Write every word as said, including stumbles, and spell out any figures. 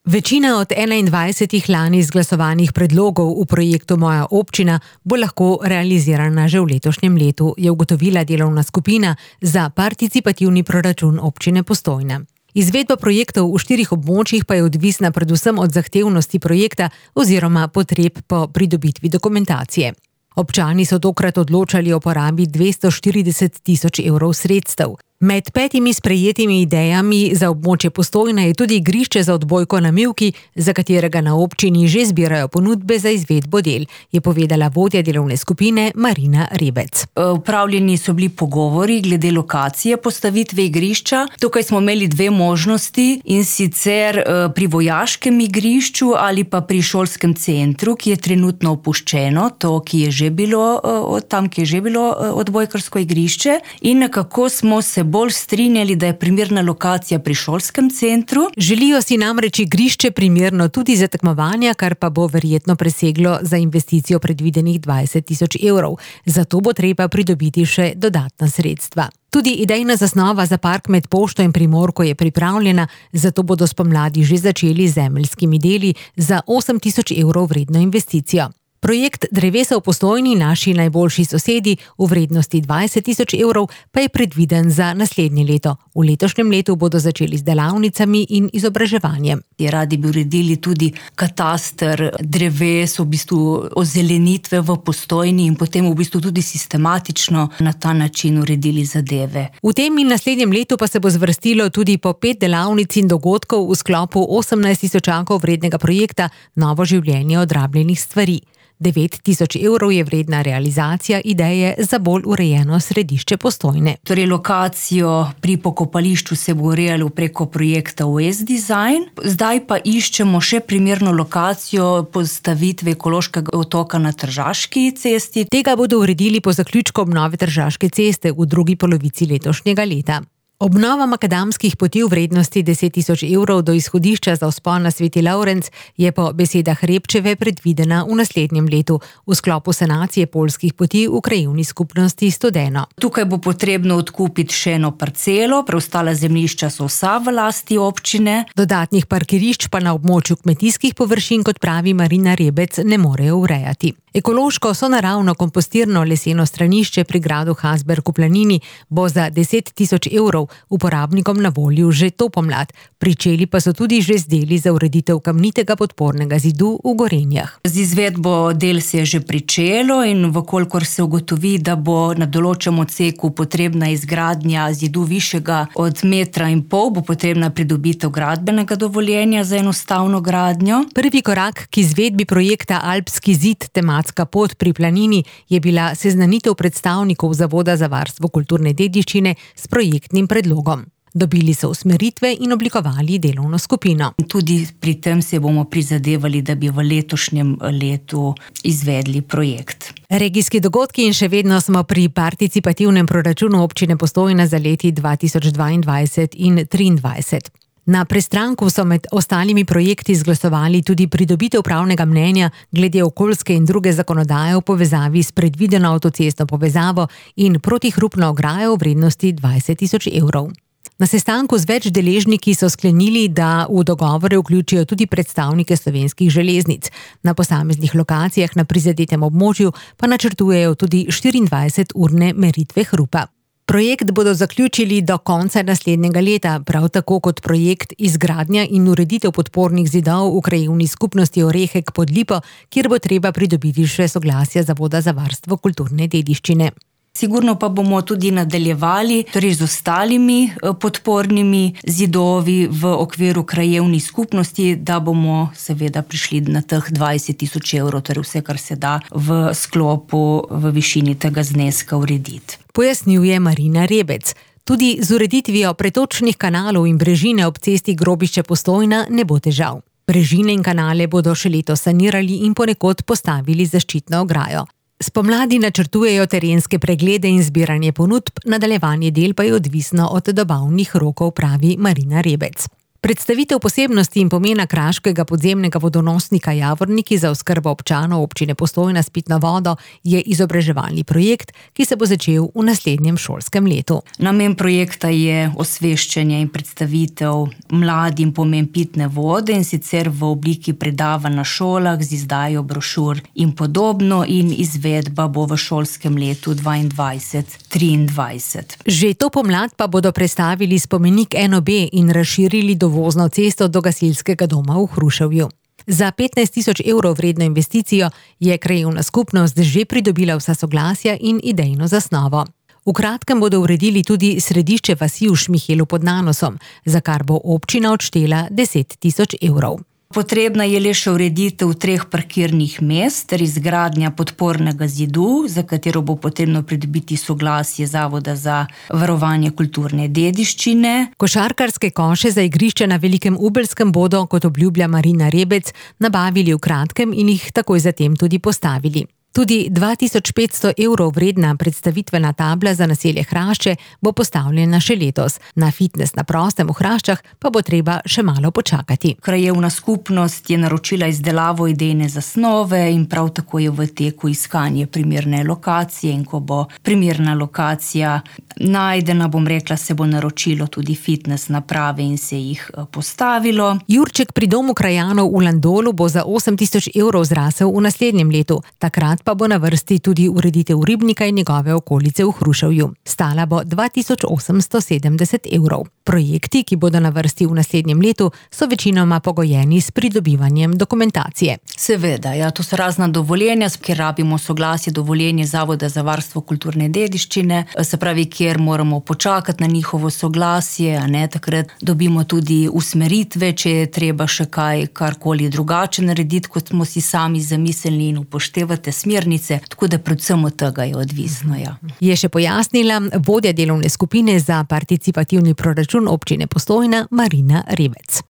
Večina od enaindvajsetih lani izglasovanih predlogov v projektu Moja občina bo lahko realizirana že v letošnjem letu, je ugotovila delovna skupina za participativni proračun občine Postojna. Izvedba projektov v štirih območjih pa je odvisna predvsem od zahtevnosti projekta oziroma potreb po pridobitvi dokumentacije. Občani so tokrat odločali o porabi dvesto štirideset tisoč evrov sredstev. Med petimi sprejetimi idejami za območje Postojna je tudi igrišče za odbojko na mivki, za katerega na občini že zbirajo ponudbe za izvedbo del, je povedala vodja delovne skupine Marina Rebec. Upravljeni so bili pogovori glede lokacije postavitve igrišča. Tukaj smo imeli dve možnosti, in sicer pri vojaškem igrišču ali pa pri šolskem centru, ki je trenutno opuščeno, to, ki je že bilo, tam, ki je že bilo odbojkarsko igrišče, in nekako smo se bolj strinjali, da je primerna lokacija pri šolskem centru. Želijo si namreč igrišče primerno tudi za tekmovanja, kar pa bo verjetno preseglo za investicijo predvidenih dvajset tisoč evrov. Zato bo treba pridobiti še dodatna sredstva. Tudi idejna zasnova za park med Pošto in Primorko je pripravljena, zato bodo spomladi že začeli z zemeljskimi deli za osem tisoč evrov vredno investicijo. Projekt Drevesa v Postojni, naši najboljši sosedi, v vrednosti dvajset tisoč evrov pa je predviden za naslednje leto. V letošnjem letu bodo začeli z delavnicami in izobraževanjem. Radi bi uredili tudi kataster dreves, v bistvu ozelenitve v Postojni in potem v bistvu tudi sistematično na ta način uredili zadeve. V tem in naslednjem letu pa se bo zvrstilo tudi po pet delavnic in dogodkov v sklopu osemnajst tisočakov vrednega projekta Novo življenje odrabljenih stvari. devet tisoč evrov je vredna realizacija ideje za bolj urejeno središče Postojne. Torej, lokacijo pri pokopališču se bo urejalo preko projekta West Design. Zdaj pa iščemo še primerno lokacijo postavitve ekološkega otoka na Tržaški cesti. Tega bodo uredili po zaključku obnove Tržaške ceste v drugi polovici letošnjega leta. Obnova makadamskih poti v vrednosti deset tisoč evrov do izhodišča za vzpon na Sveti Lovrenc je po besedah Repčeve predvidena v naslednjem letu v sklopu sanacije poljskih poti v krajevni skupnosti Studeno. Tukaj bo potrebno odkupiti še eno parcelo, preostala zemljišča so vsa v lasti občine. Dodatnih parkirišč pa na območju kmetijskih površin, kot pravi Marina Rebec, ne morejo urejati. Ekološko sonaravno kompostirno leseno stranišče pri gradu Hasberg v Planini bo za deset tisoč evrov uporabnikom na voljo že to pomlad. Pričeli pa so tudi že z deli za ureditev kamnitega podpornega zidu v Gorenjah. Z izvedbo del se je že pričelo in vkolikor se ugotovi, da bo na določenem odseku potrebna izgradnja zidu višjega od metra in pol, bo potrebna pridobitev gradbenega dovoljenja za enostavno gradnjo. Prvi korak k izvedbi projekta Alpski zid, tematska pot pri Planini, je bila seznanitev predstavnikov Zavoda za varstvo kulturne dediščine s projektnim predlogom. Dobili so usmeritve in oblikovali delovno skupino. Tudi pri tem se bomo prizadevali, da bi v letošnjem letu izvedli projekt. Regijski dogodki in še vedno smo pri participativnem proračunu občine Postojna za leti dva tisoč dvaindvajset in triindvajset. Na prestranku so med ostalimi projekti izglasovali tudi pridobitev pravnega mnenja glede okoljske in druge zakonodaje v povezavi s predvideno avtocestno povezavo in protihrupno ograjo v vrednosti dvajset tisoč evrov. Na sestanku z več deležniki so sklenili, da v dogovore vključijo tudi predstavnike Slovenskih železnic. Na posameznih lokacijah na prizadetem območju pa načrtujejo tudi štiriindvajseturne meritve hrupa. Projekt bodo zaključili do konca naslednjega leta, prav tako kot projekt izgradnja in ureditev podpornih zidov v krajevni skupnosti Orehek pod Lipo, kjer bo treba pridobiti še soglasja Zavoda za varstvo kulturne dediščine. Sigurno pa bomo tudi nadaljevali torej z ostalimi podpornimi zidovi v okviru krajevnih skupnosti, da bomo seveda prišli na teh dvajset tisoč evrov, torej vse, kar se da v sklopu v višini tega zneska urediti. Pojasnjuje Marina Rebec. Tudi z ureditvijo pretočnih kanalov in brežine ob cesti Grobišče Postojna ne bo težav. Brežine in kanale bodo še letos sanirali in ponekod postavili zaščitno ograjo. Spomladi načrtujejo terenske preglede in zbiranje ponudb, nadaljevanje del pa je odvisno od dobavnih rokov, pravi Marina Rebec. Predstavitev posebnosti in pomena kraškega podzemnega vodonosnika Javorniki za oskrbo občanov občine Postojna s pitno vodo je izobraževalni projekt, ki se bo začel v naslednjem šolskem letu. Namen projekta je osveščanje in predstavitev mladim pomen pitne vode, in sicer v obliki predavanj na šolah z izdajo brošur in podobno, in izvedba bo v šolskem letu dvaindvajset triindvajset. Že to pomlad pa bodo predstavili spomenik N O B in razširili do vozno cesto do gasilskega doma v Hruševju. Za petnajst tisoč evrov vredno investicijo je krajevna skupnost že pridobila vsa soglasja in idejno zasnovo. V kratkem bodo uredili tudi središče vasi v Šmihelu pod Nanosom, za kar bo občina odštela deset tisoč evrov. Potrebna je le še ureditev treh parkirnih mest ter izgradnja podpornega zidu, za katero bo potrebno pridobiti soglasje Zavoda za varovanje kulturne dediščine. Košarkarske koše za igrišče na Velikem Ubelskem bodo, kot obljublja Marina Rebec, nabavili v kratkem in jih takoj zatem tudi postavili. Tudi dva tisoč petsto evrov vredna predstavitvena tabla za naselje Hrašče bo postavljena še letos. Na fitnes na prostem v Hraščah pa bo treba še malo počakati. Krajevna skupnost je naročila izdelavo idejne zasnove in prav tako je v teku iskanje primerne lokacije, in ko bo primerna lokacija najdena, bom rekla, se bo naročilo tudi fitnes naprave in se jih postavilo. Jurček pri domu krajanov v Landolu bo za osem tisoč evrov zrasel v naslednjem letu. Takrat pa bo na vrsti tudi ureditev ribnika in njegove okolice v Hruševju. Stala bo dva tisoč osemsto sedemdeset evrov. Projekti, ki bodo na vrsti v naslednjem letu, so večinoma pogojeni s pridobivanjem dokumentacije. Seveda, ja, to so razna dovoljenja, kjer rabimo soglasje, dovoljenje Zavoda za varstvo kulturne dediščine, se pravi, kjer moramo počakati na njihovo soglasje, a ne, takrat dobimo tudi usmeritve, če je treba še kaj, karkoli drugače narediti, kot smo si sami zamislili, in upoštevate smernice, tako da predvsem od tega je odvisno, ja. Je še pojasnila vodja delovne skupine za participativni proračun občine Postojna Marina Rebec.